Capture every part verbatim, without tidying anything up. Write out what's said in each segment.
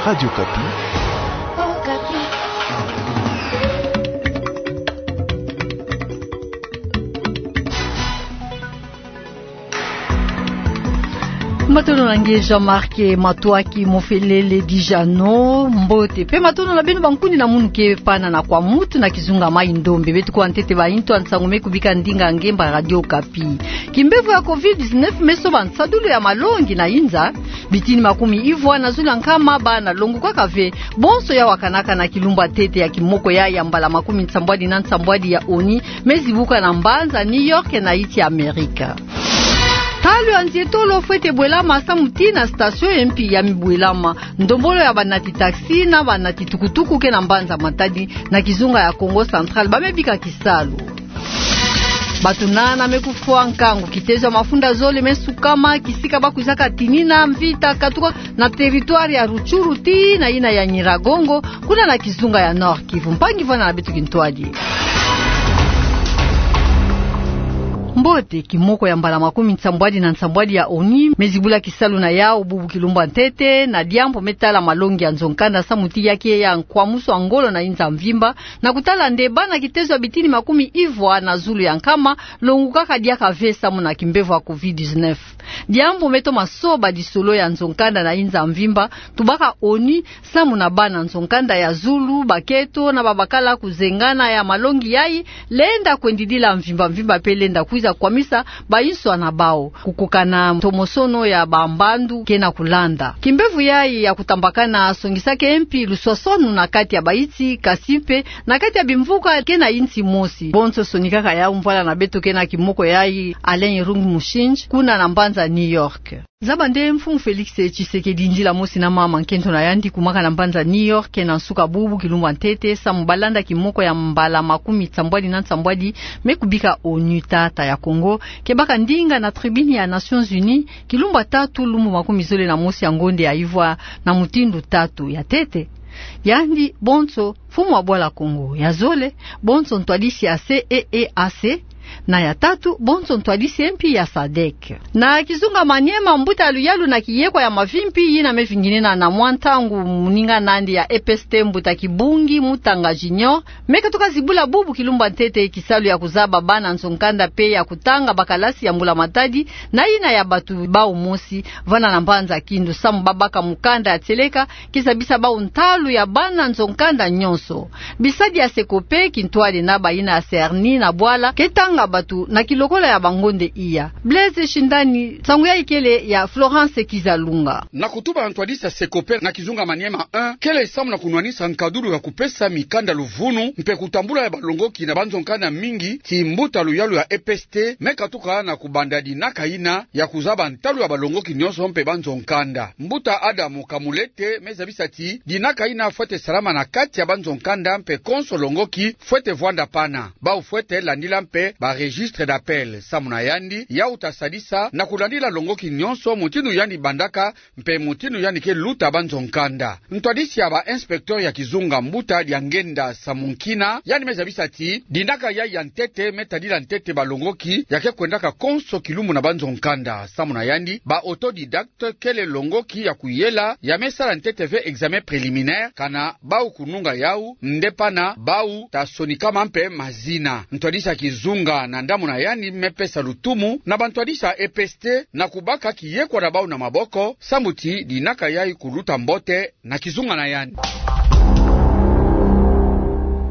Radio Okapi. Matondo na nge Jean-Marc Matuaki Mofelele Dijano, mbote. Mpe matondo na beno bankundi na munu ke pana na kwa mutu na kizunga Mai-Ndombe. Beto kuwa ntete ba intu ya nsangu me kubika ndinga ngemba Radio Okapi. Kimbevo ya covid dix-neuf me soba nsadulu ya malongi na inza. Bitini makumi ivwa na zulu ya nkama bana, longo kaka ve, bonso ya wakanaka na kilumbu ya ntete ya kimoko ya, ya mbala makumi nsambwadi na nsambwadi ya ONU, me zibuka na mbanza New York na insi ya Amerika. Ntalu ya nzietolo fwete bwelama samu tii na station ya mpi ya mibwelama. Ndombolo ya banati taxi na banati tukutuku ke na mbanza Matadi na kizunga ya Kongo Central ba me bika kisalu. Bato nana me kufwa nkangu kitezo ya mafunda zole me sukama kisika ba kwizaka tinina mvita katuka na territoire ya Rutshuru tii na yina ya Nyiragongo, kuna na kizunga ya Nord-Kivu. Mpangi vwanda na beto kintwadi. Mbote, kimoko ya mbala makumi nsambwadi na nsambwadi ya ONU me zibula kisalu na yau bubu kilumbu ya ntete, na diambu me tala malongi ya nzo-nkanda samu tii ya ke ya nkwamusu ya ngolo na inza mvimba, na kutala nde bana kitezo ya bitini makumi ivwa na zulu ya nkama, longo kaka diaka ve samu na kimbevo ya covid dix-neuf. Diambu me toma soba disolo ya nzo-nkanda na inza mvimba, tubaka ONU, samu na bana nzo-nkanda ya zulu, bakento, na babakala kuzengana ya malongi yai, lenda kwendidila mvimba mvimba mpe lenda kwiza kwamisa bayinswa na bau. Kukokana ntomosono ya bambandu ke na kulanda. Kimbevo yai ya kutambakana songisaka mpi luswaswanu na kati ya bayinsi, kasi mpe na kati ya bimvuka ke na yinsi mosi. Bonso sonikaka yau mvwala na beto ke na kimoko yai Alain Irung Mushinji, kuna na mbanza New York. Zaba nde Mfumu Felix Tshisekedi ndila mosi na mama nkento na yandi kumaka na mbanza New York na nsuka bubu kilumbu ya ntete, samu balanda kimoko ya mbala makumi nsambwadi na nsambwadi me kubika ONU. Tata ya Kongo ke baka ndinga na tribune ya Nations Unies, kilumbu ya tatu lumbu makumi zole na mosi ya ngonde ya ivwa, na mutindu tatu. Ya ntete, yandi bonso mfumu wa bwala Kongo. Ya zole, bonso ntwadisi ya C E E A C. Na ya tatu, bonso ntwadisi mpi ya sadek. Na kizunga Maniema, mbuta ya luyalu na kiyekwa ya mavimpi yina me vinginena na mwa ntangu, moninga na yandi ya E P S T, mbuta Kibungi Mutanga Junior, me katuka zibula bubu kilumbu ya ntete kisalu ya kuzaba bana nzo-nkanda mpe ya kutanga bakalasi ya Mbula Matadi, na yina ya bato bau mosi, vwanda na mbanza Kindu, samu babaka mukanda ya tieleka ke zabisa bau ntalu ya bana nzo-nkanda nyonso. Bisadi ya SECOPE, kintwadi na bayina ya CERNI na bwala, ke tanga bato na kilokola ya bangonde iya. Blaise Shindani, nsangu yai kele ya Florence Kizalunga. Na kutuba ntwadisi ya SECOPE na kizunga Maniema un, kele samu na kunwanisa nkadulu ya kupesa mikanda luvunu mpe kutambula ya balongoki na banzo-nkanda mingi, ti mbuta luyalu ya E P S T me katuka na kubanda dinaka yina ya kuzaba ntalu ya balongoki nyonso mpe banzo-nkanda. Mbuta Adamu Kamulete me zabisa ti dinaka yina fwete salama na kati ya banzo-nkanda mpe konso longoki fwete vwanda pana. Bau fwete landila mpe ba registre d'appel. Samu na yandi, yau ta sadisa na kulandila longoki nyonso mutindu yandi bandaka mpe mutindu yandi ke luta banzo-nkanda. Ntwadisi ya ba inspecteur ya kizunga, mbuta Diangenda Samunkina, yandi me zabisa ti dinaka yai ya ntete me tadila ntete balongoki ya ke kwendaka konso kilumbu na banzo-nkanda. Samu na yandi, ba autodidacte kele longoki ya kuyela ya me sala ntete ve examen préliminaire, kana bau kununga yau, nde pana bau ta sonikama mpe mazina. Ntwadisi ya kizunga na ndambu na yandi me pesa lutumu na bantwadisi ya E P S T na kubaka kiyekwa na bau na maboko, samu ti dinaka yai kuluta mbote na kizunga na yandi.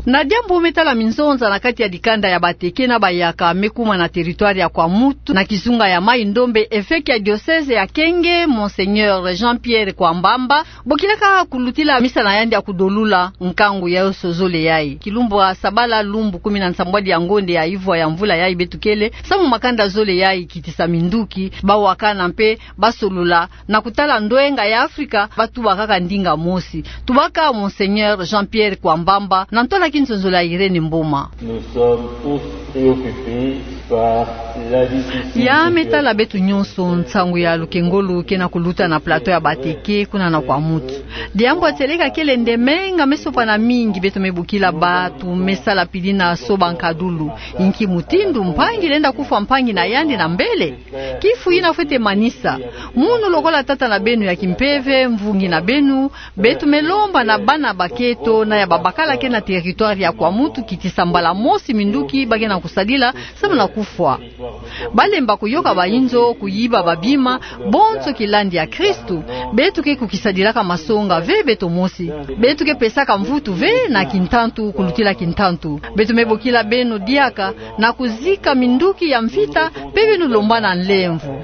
Na diambu me tala minzonza na kati ya dikanda ya Bateke na Bayaka me kuma na territoire ya Kwamouth, na kizunga ya Mai-Ndombe, évêque ya diocèse ya Kenge, Monseigneur Jean-Pierre Kwambamba, bokilaka kulutila misa na yandi ya kudolula nkangu ya yonso zole yai. Kilumbu ya sabala, lumbu kumi na nsambwadi ya ngonde ya ivwa ya mvula yai beto kele, samu makanda zole yai, kitisa minduki, bawakana mpe basolola na kutala ndwenga ya Afrika, batuba kaka ndinga mosi. Tubaka Monseigneur Jean-Pierre Kwambamba na ntwala kinzonzolo ya Irène Mboma. Nous sommes tous préoccupés Ya me tala beto nyonso, nsangu ya lukengolo ke na kuluta na plateau ya Bateke, kuna na Kwamouth. Diambu ya tieleka kele nde menga me sopana mingi, beto me bokila bato me sala pili na soba nkadulu. Inki mutindu mpangi lenda kufwa mpangi na yandi na mbele? Kifu yina fwete manisa. Munu lokola tata na beno ya kimpeve, mvungi na beno, beto me lomba na bana bakento na ya babakala ke na territoire ya Kwamouth kitisa mbala mosi minduki ba ke na kusadila, samu na kufwa. Ba lemba kuyoka bainzo, kuyiba babima, bonso kilandi ya Kristu. Beto ke kukisadilaka masonga ve beto mosi. Beto ke pesaka mvutu ve na kintantu kulutila kintantu. Beto me bokila beno diaka na kuzika minduki ya mvita, pe beno lomba na nlemvo.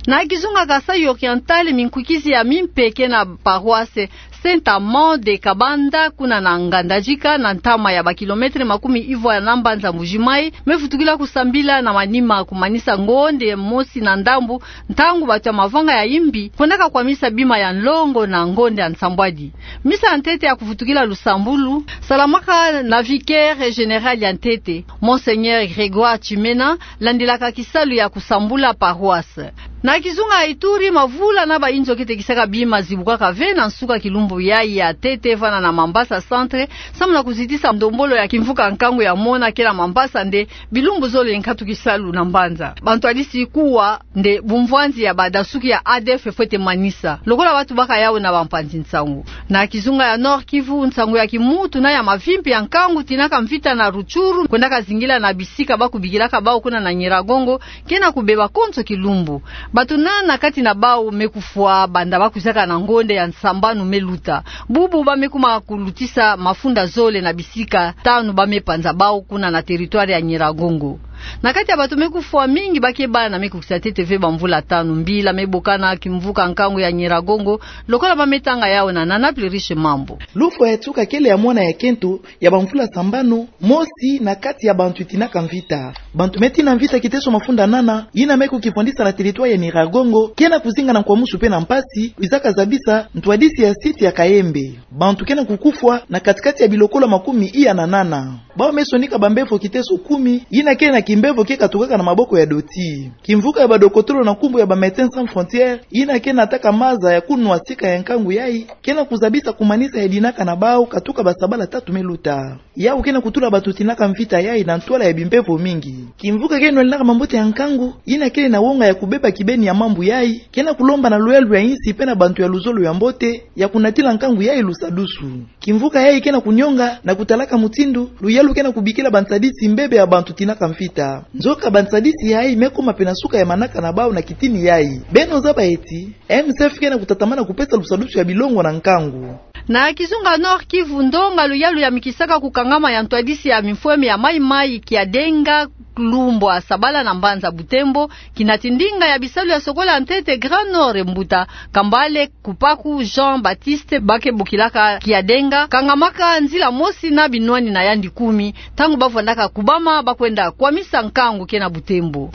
Na kizunga Kasaï Oriental, minkwikisi ya mimpe ke na paroisse Saint-Amand de Kabanda, kuna na Ngandajika, na ntama ya ba kilomètre makumi ivwa na mbanza Mbuji-Mayi, me vutukila kusambila na manima kumanisa ngonde mosi na ndambu, ntangu bato ya mavanga ya imbi kwendaka kwamisa bima ya nlongo na ngonde ya nsambwadi. Misa ya ntete ya kuvutukila lusambulu salamaka na vicaire général ya ntete, Monseigneur Grégoire Tchimena, landilaka kisalu ya kusambula paroisse. Na kizunga ya Ituri, mavula na bainzo ke tekisaka bima zibukaka ve na nsuka kilumbu yayi ya ntete vana na Mambasa Centre, samu na kuzitisa ndombolo ya kimvuka nkangu ya mona ke na Mambasa nde bilumbu zole nkatu kisalu na mbanza. Bantwadisi kuwa nde bumvwanzi ya badasuki ya A D F fwete manisa, lokola bato baka yawu na bampanzi nsangu. Na kizunga ya Nord-Kivu, nsangu ya kimutu na ya mavimpi ya nkangu tinaka mvita na Rutshuru kwendaka zingila na bisika ba kubikilaka bawu kuna na Nyiragongo, ke na kubeba konso kilumbu. Bato nana kati na bawu me kufwa banda ba kwizaka na ngonde ya nsambanu me luta. Bubu ba me kuma kulutisa mafunda zole na bisika tanu ba me panza bawu kuna na territoire ya Nyiragongo. Na kati ya bato me kufwa, mingi ba ke bana me kukisa ntete ve bamvula tanu. Mbila me bokana kimvuka nkangu ya Nyiragongo, lokola ba me tanga yawu na Nana Pluriche Mambu. Lufwa ya nsuka kele ya mwana ya kento ya bamvula sambanu, mosi na kati ya bantu tinaka mvita. Bantu me tina mvita kiteso mafunda nana, yina me kukifwandisa na territoire ya Nyiragongo, ke na kuzinga na nkwamusu pe na mpasi, kwizaka zabisa ntwadisi ya site ya Kayembe. Bantu ke na kukufwa na kati-kati ya bilokolo makumi iya na nana. Bawu me sonika bambevo kiteso kumi, yina ke na kimbevo ke katukaka na maboko ya doti. Kimvuka ya badokotolo na nkumbu ya ba Médecins Sans Frontières, yina ke nataka maza ya kunwa sika ya nkangu yayi, ke na kuzabisa kumanisa ya dinaka na bawu katuka basabala tatu me luta. Yawu ke na kutula bato tinaka mvita yayi na ntwala ya bimbevo mingi. Kimvuka ke nwaninaka mambote ya nkangu, yina kele na wonga ya kubeba kibeni ya mambu yayi, ke na kulomba na luyalu ya insi pe na bantu ya luzolo ya mbote ya kunatila nkangu yayi lusadusu. Kimvuka yayi ke na kunyonga na kutalaka mutindu luyalu ke na kubikila bantadisi mbebe ya bantu tinaka mvita. Nzoka bantadisi yayi me kuma pena suka ya manaka na bawu na kitini yayi. Beno zaba eti, M S F ke na kutatamana kupesa lusadusu ya bilongo na nkangu. Na kizunga Nord-Kivu, ndonga luyalu ya mikisaka kukangama ya ntwadisi ya mifweme ya mayi-mayi Kiadenga, lumbwa sabala na mbanza Butembo, kinati ndinga ya bisalu ya sokola ntete Grand Nord, mbuta Kambale Kupaku Jean-Baptiste, ba ke bokilaka Kiadenga, kangamaka nzila mosi na binwani na yandi kumi, ntangu ba vwandaka kubama ba kwenda kwamisa nkangu ke na Butembo.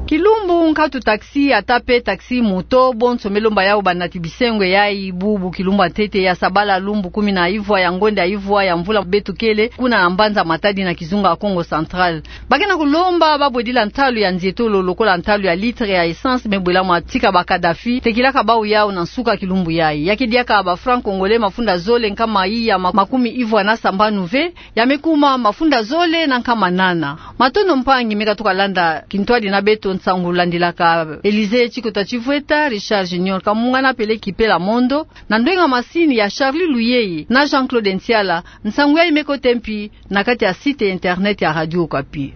Kilumbu nkatu taxi, ata pe taxi moto, bonso me lomba yawu banati bisengo yayi. Bubu kilumbu ya ntete ya sabala, lumbu kumi na ivwa ya ngonde ya ivwa ya mvula beto kele, kuna na mbanza Matadi na kizunga Kongo Central. Ba ke na kulomba ba bwedila ntalu ya nzietolo lokola ntalu ya litre ya essence me bwelama tika ba Kadhafi, tekilaka bawu yawu na nsuka kilumbu yayi. Ya ke diaka ba francs congolais mafunda zole nkama iya ma-, makumi ivwa na sambanu ve, ya me kuma mafunda zole na nkama nana. Matondo mpangi me katuka landa kintwadi na beto nsangu landilaka. Elysée Tshikota Tshivweta, Richard Junior Kamunga na Pele Kipela Mondo, na ndwenga masini ya Charlie Luyeye na Jean-Claude Ntiala. Nsangu yayi me kota mpi na kati ya site internet ya Radio Okapi.